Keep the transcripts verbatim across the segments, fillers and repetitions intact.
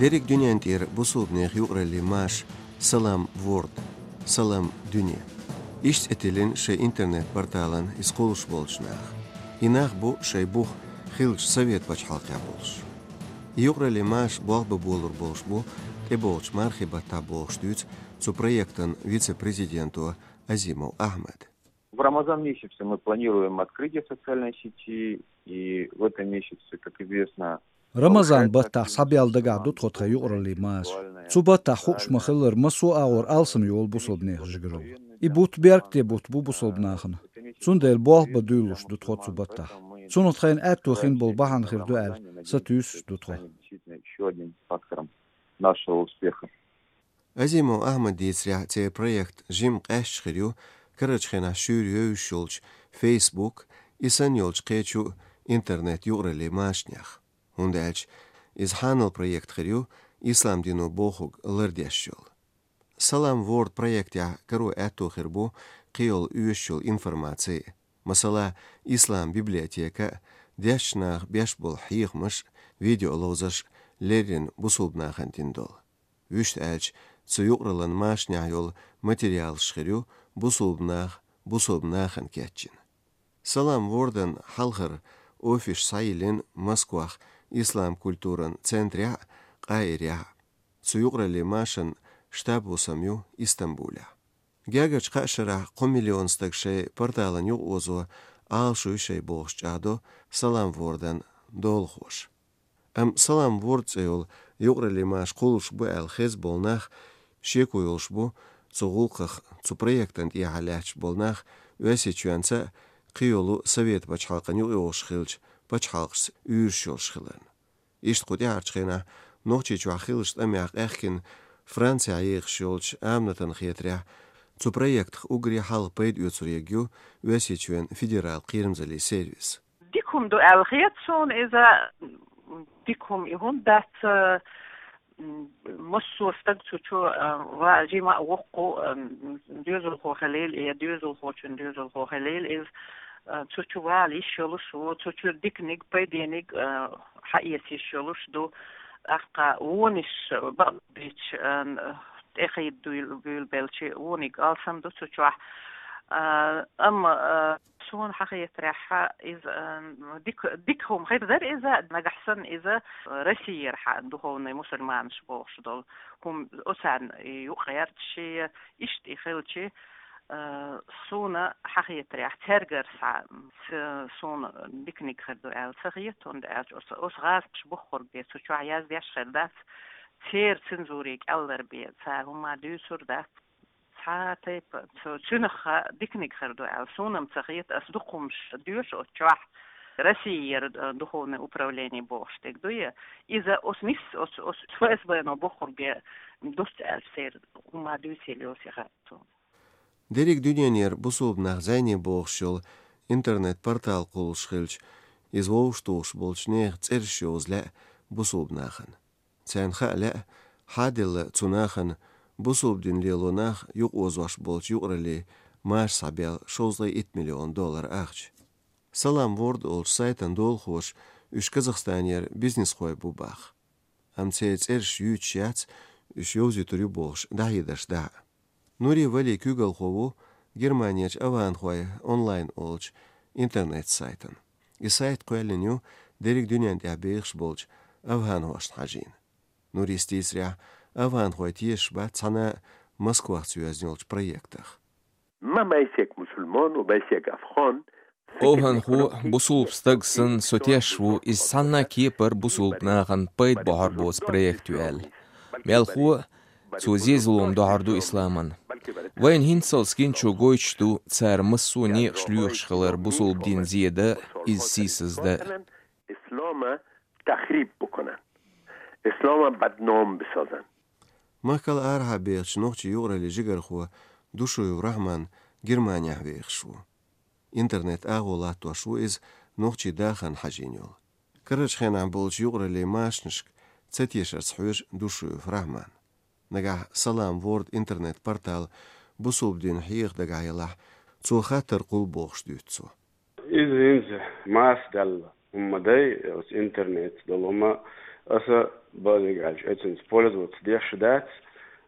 Деррига дуьнен тӀера бусулбанех юкъараллин маша Салам Ворд, Салам Дуьне. Иштта цӀи тиллина шайн интернет-порталан иза кхуллуш болчу наха. И нах бу шайн бух хиллачу Совет пачхьалкхехь болуш. И юкъараллин маша болх бан болур болуш бу тӀебогӀучу мархийн баттахь бохуш дуьйцу цу проектан вице-президенто Азимов Ахьмада. В Рамазан месяце мы планируем открытие социальной сети, и в этом месяце, как известно, Рамазан баттахь схьабаьлла дагахь ду тхо тхан юкъараллин маша. Цу баттахь хууш ма-хиллара, массо а агӀор алсам йолу бусулбанехан жигаралла. И бутт беркате бутт бу бусулбанахана. Цундела болх бан дуьйлалуш ду тхо цу баттахь. Цунах тхайна аьтто хин болу бахьана хир ду аьлла, сатуьйсуш ду тхо. Ещё одним фактором нашего успеха. Азимов Ахьмада дийцарехь, церан проект жимма къаьсташ хир ю карарчу хенахь шуьйра евзаш йолчу Facebook, и санна йолчу кхечу интернет-юкъараллин машанех. ХӀунда аьлча иза хьанал проект хир ю, ислам дино бохург лардеш йолу. Салам Ворд проектехь каро аьтто хир бу кхин йолу оьшуш йолу информаци. Масала, ислам библиотека, дешначу наха беш болу хьехамаш, видеоловзарш, леррина бусулбанахана дина долу. Вуьшта аьлча, цу юкъараллин машанехь йолу материалаш хир ю бусулбанах бусулбанахана кечйина. Салам Вордан хьалхара офисаш схьайиллина Москвахь ислам культуран центрехь а, Къаирехь а. Цу юкъараллин машан штаб-хӀусам ю Истамбулехь. Гергарчу кхаа шарахь кхо миллион стаг шайн порталан юкъаозо Ӏалашо ю шайн бохуш чӀагӀдо Салам Вордан долахоша. Амма Салам Ворд цӀе йолу юкъараллин маша кхуллуш бу аьлла хезна болу нах шеко йолуш бу цу гӀуллакхах, цу проектан тӀехьа лаьтташ болу нах Оьрсийчоьнца а, кхин йолу Совет пачхьалкхан юкъайогӀуш хиллачу пачхьалкхашца уьйраш йолуш хиларна. Иштта кху тӀаьхьарчу хенахь Нохчийчохь хиллачу тӀамехь къаьхкина Францехь ехаш йолчу Аминатан хетарехь, цу проектах уггаре хьалха пайда оьцур ерг ю Оьрсийчоьнан федералан кхерамзаллин сервис. Дика хӀума ду аьлла хета суна иза, дика хӀума и хӀунда дац, м, массо а стаг цу чу, а, ва-, жима а воккху, а, м, доьзалхо хилийла, я доьзалхочун доьзалхо хилийла иза, а, цу чу вала йиш йолуш ву, цу чу диканиг, пайдениг, а, хьаэца йиш йолуш ду. ТӀаккха вонаш бакъдерг, а, тӀехийда дуьйла-, буьйлабелча, вониг алсам ду цу чохь. А, амма, а, Суна хьахетарехь, иза, а, дика, дика хӀума хир дара иза, нагахь санна иза Россиера хьа духовный мусульманаш бохуш долу хӀума, оцарна и юкъа гӀерташ, иштта и хилча, а, суна хьахетарехь, цаьргара схьа, ц-, суна диканиг хир ду аьлла ца хета, хӀунда аьлча оцу, оцу гӀазкхаша бохург бен цу чохь яздеш хир дац, церан цензуре кӀеллар бен цара хӀума дуьйцур дац. Цхьа тайпа, цу-, цуьнах диканиг хир ду аьлла, суна-м ца хета, ас дукха хӀумаш доьшу оцу чохь, Россиера, э, духовное управление бохуш дерг дуй, иза оцу нис, оцу, оцу ФСБ-но бохург бен дуьйцу аьлла, церан хӀума дуьйцийла йоцу яхара цунна. Дерриг дуьненера бусулба нах зӀене бохуш йолу интернет-портал кхуллуш хилча, иза вовшахтухуш болчу нехан цӀераш йовза лаьа бусулба нахана. Царна хаа лаьа, хьан а делла цу нахана бусулба дин лело нах юкъаозош болчу юкъараллин маша схьабаьлла шовзткъе итт миллион доллар ахча. Салам Ворд олучу сайтан долахоша уьш Казахстанера бизнесхой бу боху. Амма церан цӀераш юьйцуш яц, уьш йовзуьйтур ю бохуш дӀахьедарш дахьа. Нури Вали куьйгалхо ву Германерчу «Аванхой онлайн» олучу интернет-сайтан. И сайт кхоьллина ю дерриг дуьнен тӀехь бехаш болчу аванхошна хьажийна. Нурис дийцарехь, аванхой тешаш бац цхьана а Москвахца йоьзна йолчу проектах. ما بأي شك مسلمان و بأي شك أفغان. Овханхо бусулба стаг санна со тешаш ву, иза цхьанна а кепара бусулба нахана пайда бохьур боцу проект ю аьлла. Мелхо а, цо зен-зулам дохьур ду исламан. Вайна хӀинццалц гиначо гойтуш ду, цара массо а некъаш лоьхуш хилар бусулба дин зе дан, иза сийсаз дан. اسلام تخریب بکنن، اسلام بدنام بسازن. Махкал арахьа бехачу нохчийн юкъараллин жигархо Душуев Рахьман Германехь вехаш ву. Интернет агӀо латтош ву иза нохчийн дахарна хьажийна йолу. Карарчу хенахь болчу юкъараллин машанашка ца тешарца хьоьжу Душуев Рахьман. Нагахь Салам Ворд интернет-портал бусулба дин хьеха дагахь елахь, цо хаттар кхуллу бохуш дуьйцу цо. Иза хӀинца маса даьлла хӀума ма дай, оцу интернетца долу хӀума, Аса базиг аьлча, оцунца пользоваться деш дац,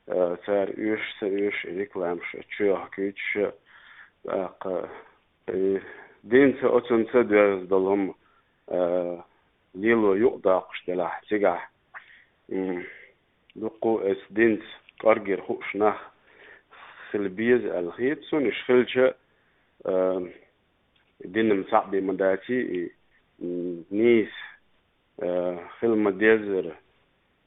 э, цара оьшуш, ца оьшуш, рекламаш чуйохкуьйтуш, тӀаккха, э, динца оцунца доьзна долу хӀума, э, лело юкъадоккхуш делахь, цигахь, м, дуккха а эс динца кӀорггера хууш нах хила беза аьлла хета суна, уьш хилча, э, динан цхьаъ бен ма даций, и, м, нийса, э, хила ма-деззара,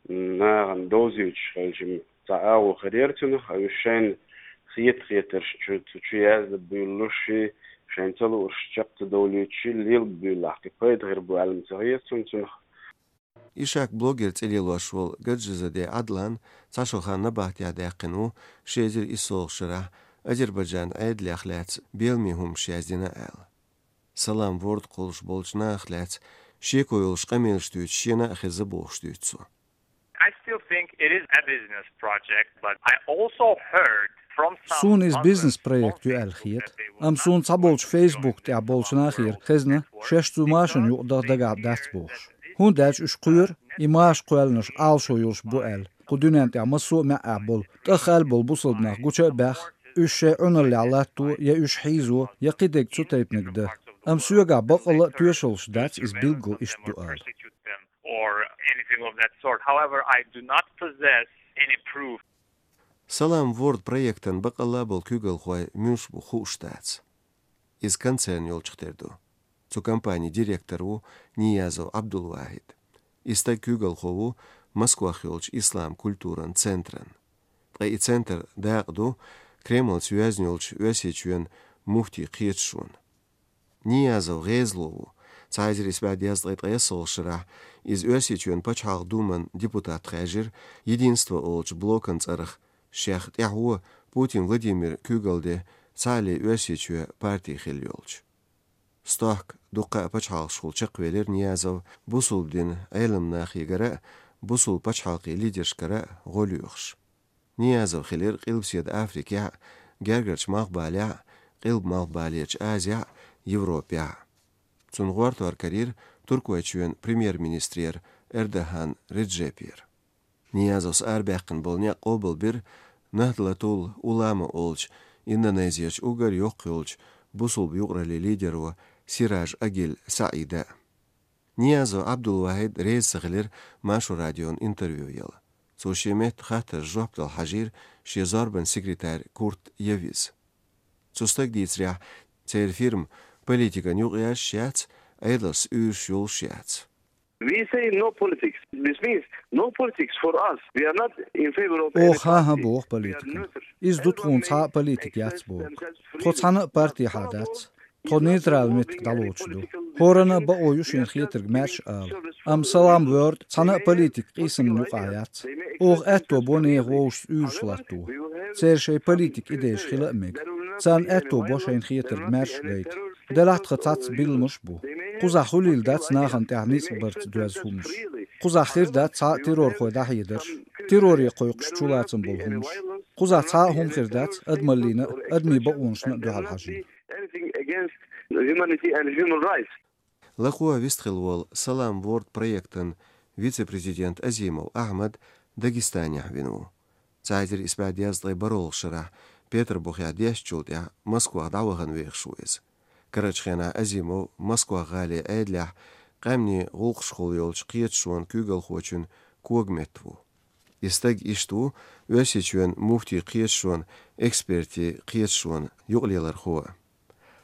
м, нахана довзуьйтуш хилча, м, цхьа агӀо хир яра цунах, а уьш шайна хета-хетарш чу, цу чу яздан буьйлалуш, шайна ца луурш чекх ца довлуьйтуш, лелаб буьйлалахь, кхин пайда хир бу аьлла ма ца хета суна цунах. Ишак блогер цӀе лелош волу Гаджизаде Ӏадлан цхьа шо хан набахтехь даьккхина ву, ши эзар иссолгӀачу шарахь Азербайджан Ӏедалех лаьцна беламе хӀуманаш яздина аьлла. Салам Ворд кхуллуш болчу нахах лаьцна шеко йолуш къамелаш дуьйцуш шена а хезна бохуш дуьйцу цо. I still think it is a business project, but I also heard from some... Суна иза бизнес-проект ю аьлла хета, амма суна цхьаболчу Facebook тӀехь болчу нахера хезна, шаьш цу машина юкъа даха дагахь дац бохуш. ХӀунда аьлча уьш кхоьру, и маша кхоьллинарш Ӏалашо йолуш бу аьлла, кху дуьнен тӀехь массо а маьӀӀехь болу, тӀаххалла болу бусалба нах гуча а баьхна, уьш шайн Ӏуналлехь латто, я уьш хьийзо, я кхидерг цу тайпаниг дан. Амма соьгахь баккъалла а тоьшаллаш дац иза билггал иштта ду ала. Or anything of that sort. However, I do not possess any proof. Салам Ворд проектан баккъалла а болу куьйгалхой муьлш бу хууш дац. Иза концерн йолчух тера ду. Цу компанин директор ву Ниязов Абдулвахид. И стаг куьйгалхо ву Москвахь йолчу ислам культуран центран. Ткъа и центр дакъа ду Кремлца йоьзна йолчу Оьрсийчоьнан муфтийн кхеташонна. Ниязов гӀезало ву. Цхьа эзар исс бӀе дезткъе ткъайоьсналгӀачу шарахь иза Оьрсийчоьнан пачхьалкх думан депутат хаьржира Единство олучу блокан цӀарах, шех тӀаьхьо Путин Владимир куьйгалла де Цхьаалле Оьрсийчоь парти хилла йолчу. Стохка дуккха а пачхьалкхашкахула чекхвелира Ниязов бусулба динан Ӏеламнахегара а, бусулба пачхьалкхийн лидершкара а гӀо лоьхуш. Ниязов хилира Къилбаседа Африкехь а, Гергарчу Малхбалехь а, Къилба-Малхбалерчу Азехь а, Европехь а. Цунна гӀортор карийра Туркойчоьнан премьер-министрера Эрдоган Реджепера. Ниязовс арабаьккхина болу некъ къобалбира Нахдлатул Улама олучу Индонезерчу уггар йоккха йолчу бусулба юкъараллин лидеро Сираж Агиль Саида. Ниязов Абдулвахид реза ца хилира Маршо радион интервью яла. Цо шен метта хаттаршна жоп дала хьажийра шен зорбанан секретарь Курт Явиз. Цу стага дийцарехь, церан фирма политикан юкъаяьржаш яц, Ӏедалшца уьйраш йолуш яц. We say no politics. This means no politics for us. We are not in favor of any party. Оха хьан-хьан боху политика. Иза ду тхуна цхьа а политика яц боху. Тхо цхьана а партехьа дац. Тхо нейтрал меттиг дӀалоцуш ду. ХӀоранна а бакъо ю шена хетарг маьрша ала. Амма Салам Ворд цхьана а политик къийсамна юкъахь яц. Оха аьтто бо нехан вовшашца уьйраш латто. Церан шайн политик идейш хила а мега. Царна аьтто бо шайна хетарг маьрша гайта. Делахь тхан цхьацца билламаш а бу. Кхузахь хуьлийла дац нахана тӀехь ницкъ барца доьзна хӀуманаш. Кхузахь хир дац цхьа а террорхой дӀахьедарш, терроре кхойкхуш чулацам болу хӀуманаш. Кхузахь цхьа а хӀума хир дац адамаллина а, адамийн бакъонашна а дуьхьал хьажийна. Anything against humanity and human rights. Лакхо вистхилла волу Салам Ворд проектан вице-президент Азимов Ахьмад Дагестанехь вина ву. Цхьа эзар исс бӀе дезткъе бархӀалгӀачу шарахь Петарбухехь дешначул тӀаьхьа Москвах дӀавахана вехаш ву иза. Карарчу хенахь Азимов Москвах гӀалин Ӏедалехь къаьмнийн гӀуллакхашкахула йолчу кхеташонан куьйгалхочун когаметта ву. И стаг иштта ву Оьрсийчоьнан муфтийн кхеташонан экспертийн кхеташонан юкъалелархо.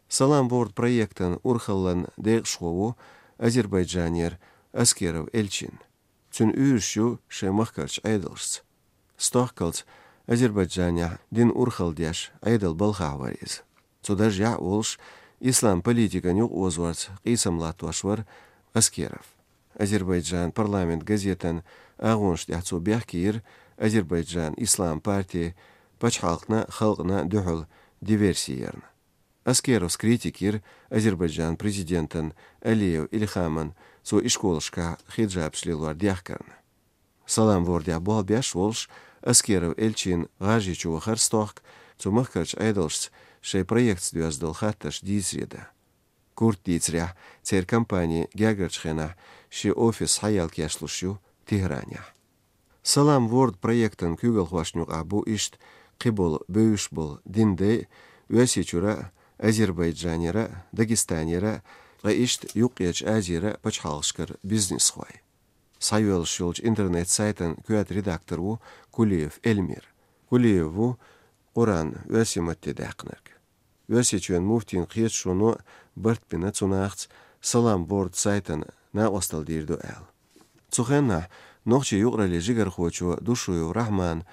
Салам Ворд проектан урхаллан декъашхо ву Азербайджанера Аскеров Элчин. Цуьнан уьйраш ю шайн махкарчу Ӏедалшца. Стохкалц Азербайджанехь динан урхалла деш Ӏедалан балхахь вара иза. Цу даржехь а волуш, ислам политикан юкъаозорца къийсам латтош вара Аскеров. Азербайджан парламент газетан агӀонаш тӀехь цо бехке йира Азербайджан ислам парти пачхьалкхна а, халкъна а дуьхьал диверси ярна. Аскеровс критика йира Азербайджан президентан Алиев Илхаман цо ишколашкахь хиджабаш лелор дехкарна. Салам Вордехь болх беш волуш, Аскеров Элчин ГӀажарийчу вахара стохка цу махкарчу Ӏедалшца шайн проектца доьзна долу хаттарш дийцаре дан. Курта дийцарехь, церан компани гергарчу хенахь шен офис схьаелла кечлуш ю Тегеранехь. Салам Ворд проектан куьйгалхошна юкъахь бу иштта кхиболу бевзаш болу динан дай а, Оьрсийчуьра а, Азербайджанера а, Дагестанера а, ткъа иштта Юккъерчу Азера а пачхьалкхашкара бизнесхой. Схьайоьллуш йолчу интернет-сайтан коьрта редактор ву Кулиев Эльмир. Кулиев ву Къуръан оьрсийн матте даьккхинарг. Оьрсийчоьнан муфтийн кхеташоно барт бина цу нахаца Салам Ворд сайтана накъосталла дийр ду аьлла. Цу хенахь нохчийн юкъараллин жигархочо Душуев Рахьмана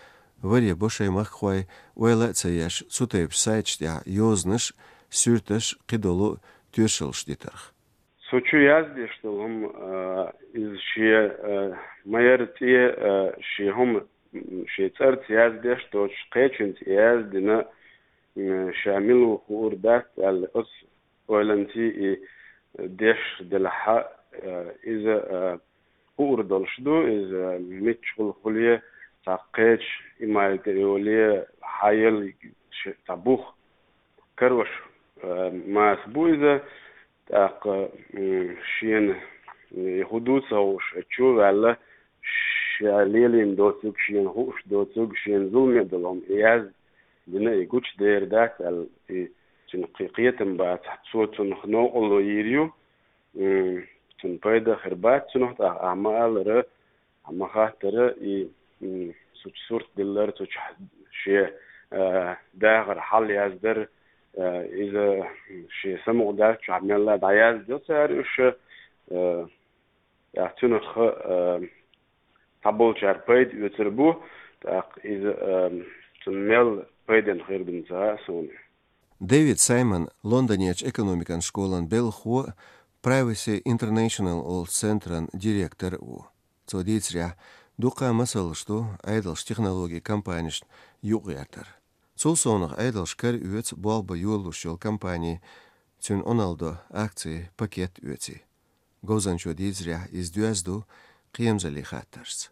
варе бо шайн махкахой ойла а ца еш цу тайпа сайташ тӀехь йозанаш, суьрташ, кхидолу тоьшаллаш дитарх. Цу чу яздеш долу хӀума, а, иза шен, а, ма-ярра цӀе, а, шен хӀума, м, шен цӀарца яздеш доцуш кхечуьнца яздина, м, ша мила ву хуур дац аьлла, оцу ойланций и деш делахь, а, иза, а, хуур долуш ду, иза миччахула хуьлий, цхьа кхечу имайта йолий, хьан елла ш-, цхьа бух карош, а, маса бу иза, тӀаккха, м, шена, м, и хӀун ду ца хууш, чу а ваьлла, ша лелийна доцург, шена хууш доцург, шена зуламе долу хӀума яздина и гучудер дац аьлла, и цуьнан кхе-, кхетам бацахь, цо цунах новкъарло йийр ю, м, цунна пайда а хир бац цунах, тӀаккха ахьа ма-аллара, ахьа ма-хаттара, и, м, цу чу сурт диллар, цу чу шен, а, дахар хьал яздар, а, иза шен самукъадаьллачу чохь мелла а дӀаяздо цара уьш, а, тӀаккха цуьнах, а, цхьаболчара пайда оьцур бу, тӀаккха иза, а, цунна мел пайденна хир ду ца хаьа суна. Дэвид Саймон Лондонерчу экономикан школан белхахо а, Privacy International олу центран директор а ву. Цо дийцарехь, дуккха а масалш ду Ӏедалша технологийн компанешна юкъагӀертар. Цул совнах Ӏедалша кара оьцу болх бан йолалуш йолу компани, цуьнан Ӏуналла до акцийн пакет оьций. Говзанчо дийцарехь, иза доьзна ду кхерамзаллин хаттаршца.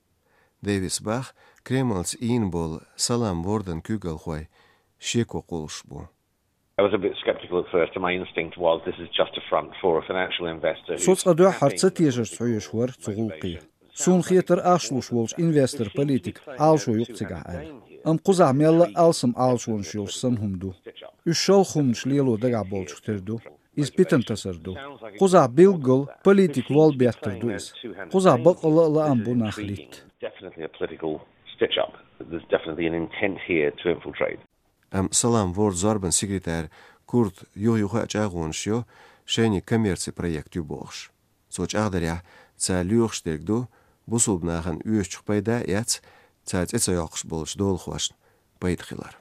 Дэвиса боху, Кремльца ийна болу Салам Вордан куьйгалхой шеко кхуллуш бу. I was a bit skeptical at first, and my instinct was this is just a front for a financial investor who's... Со цкъа дуьххьара ца тешарца хьоьжуш вара цу гӀуллакхе. Суна хетара ахча луш волчу инвестор-политикан Ӏалашо ю-кх цигахь аьлла. Амма кхузахь мелла а алсам Ӏалашонаш йолуш санна хӀума ду. Уьш шалха хӀуманаш лело дагахь болчух тера ду. Иза питана тасар ду. Кхузахь билггал политикан лол беттар ду иза. Кхузахь баккъалла а лаам бу нах литта. Definitely a political stitch-up. There's definitely an intent here to infiltrate. Амма Салам Вордан зорбанан секретарь Курта юха-юха а чӀагӀонаш йо, шайниг коммерцин проект ю бохуш. Цо чӀагӀдарехь, цара лоьхуш дерг ду, бусулба нахана оьшучух пайда а эцна, цара цӀе ца йоккхуш болчу долахошна пайда хилар.